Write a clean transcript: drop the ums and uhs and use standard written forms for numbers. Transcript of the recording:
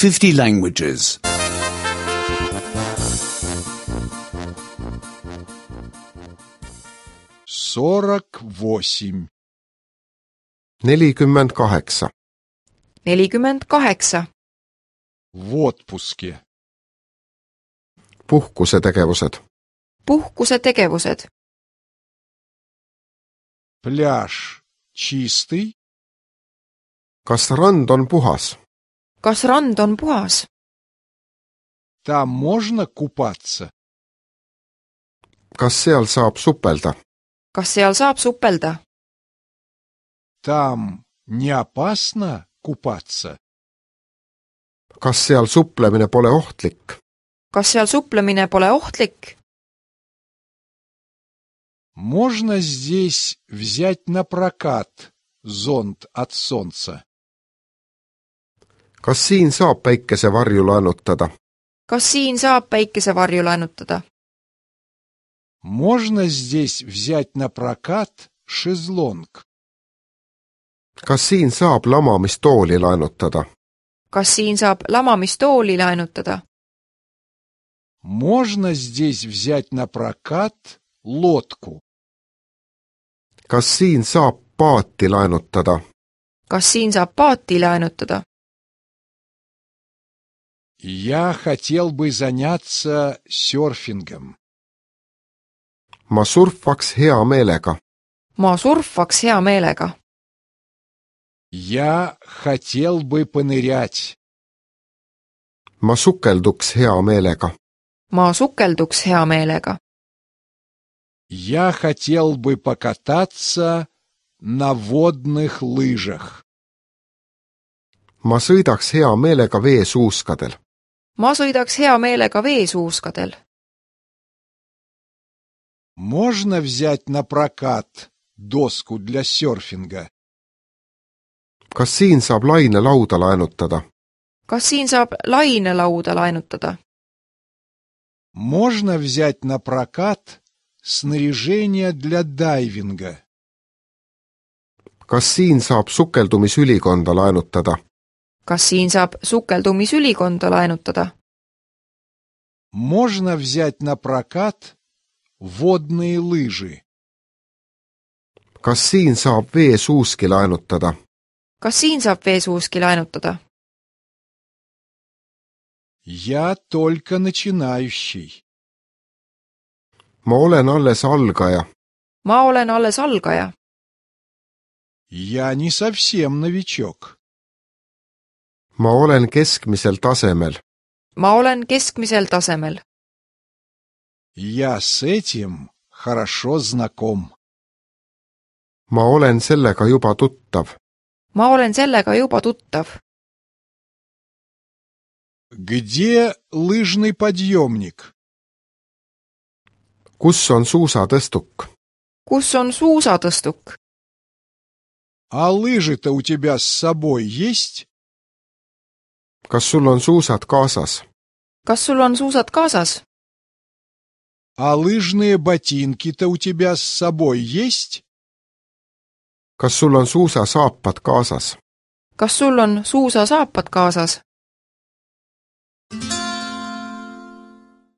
50 languages. 48. 48. 48. В отпуске. Puhkusetegevused. Puhkusetegevused. Пляж чистый? Kas rand on puhas? Kas rand on puhas? Там можно купаться? Kas seal saab supelda? Kas seal saab supelda? Там не опасно купаться? Kas seal suplemine pole ohtlik? Kas seal suplemine pole ohtlik? Можно здесь взять на прокат зонт от солнца? Kas siin saab päikesevarju laenutada? Kas siin saab päikesevarju laenutada? Можно здесь взять на прокат шезлонг? Kas siin saab lamamistooli laenutada? Kas siin saab lamamistooli laenutada? Можно здесь взять на прокат лодку? Kas siin saab paati laenutada? Kas siin saab paati laenutada? Я хотел бы заняться серфингом. Ma surfaks hea meelega. Ma surfaks hea meelega. Я хотел бы понырять. Ma sukelduks hea meelega. Ma sukelduks hea meelega. Я хотел бы покататься на водных лыжах. Ma sõidaks hea meelega veesuuskadel. Ma sõidaks hea meelega veesuuskadel. Можно взять на прокат доску для серфинга? Kas siin saab lainelauda laenutada? Kas siin saab lainelauda laenutada? Можно взять на прокат снаряжение для дайвинга? Kas siin saab sukeldumisülikonda laenutada? Kas siin saab sukeldumisülikonda laenutada? Можно взять на прокат водные лыжи? Kas siin saab veesuuski laenutada? Kas siin saab veesuuski laenutada? Я только начинающий. Ma olen alles algaja. Ma olen alles algaja. Я не совсем новичок. Ma olen keskmisel tasemel. Ma olen keskmisel tasemel. Я с этим хорошо знаком. Ma olen sellega juba tuttav. Ma olen sellega juba tuttav. Где лыжный подъемник? Kus on suusatõstuk? Kus on suusatõstuk? А лыжи-то у тебя с собой есть? Kas sul on suusad kaasas? Kas sul on suusad kaasas? А лыжные ботинки-то у тебя с собой есть? Kas sul on suusasaapad kaasas? Kas sul on suusasaapad kaasas?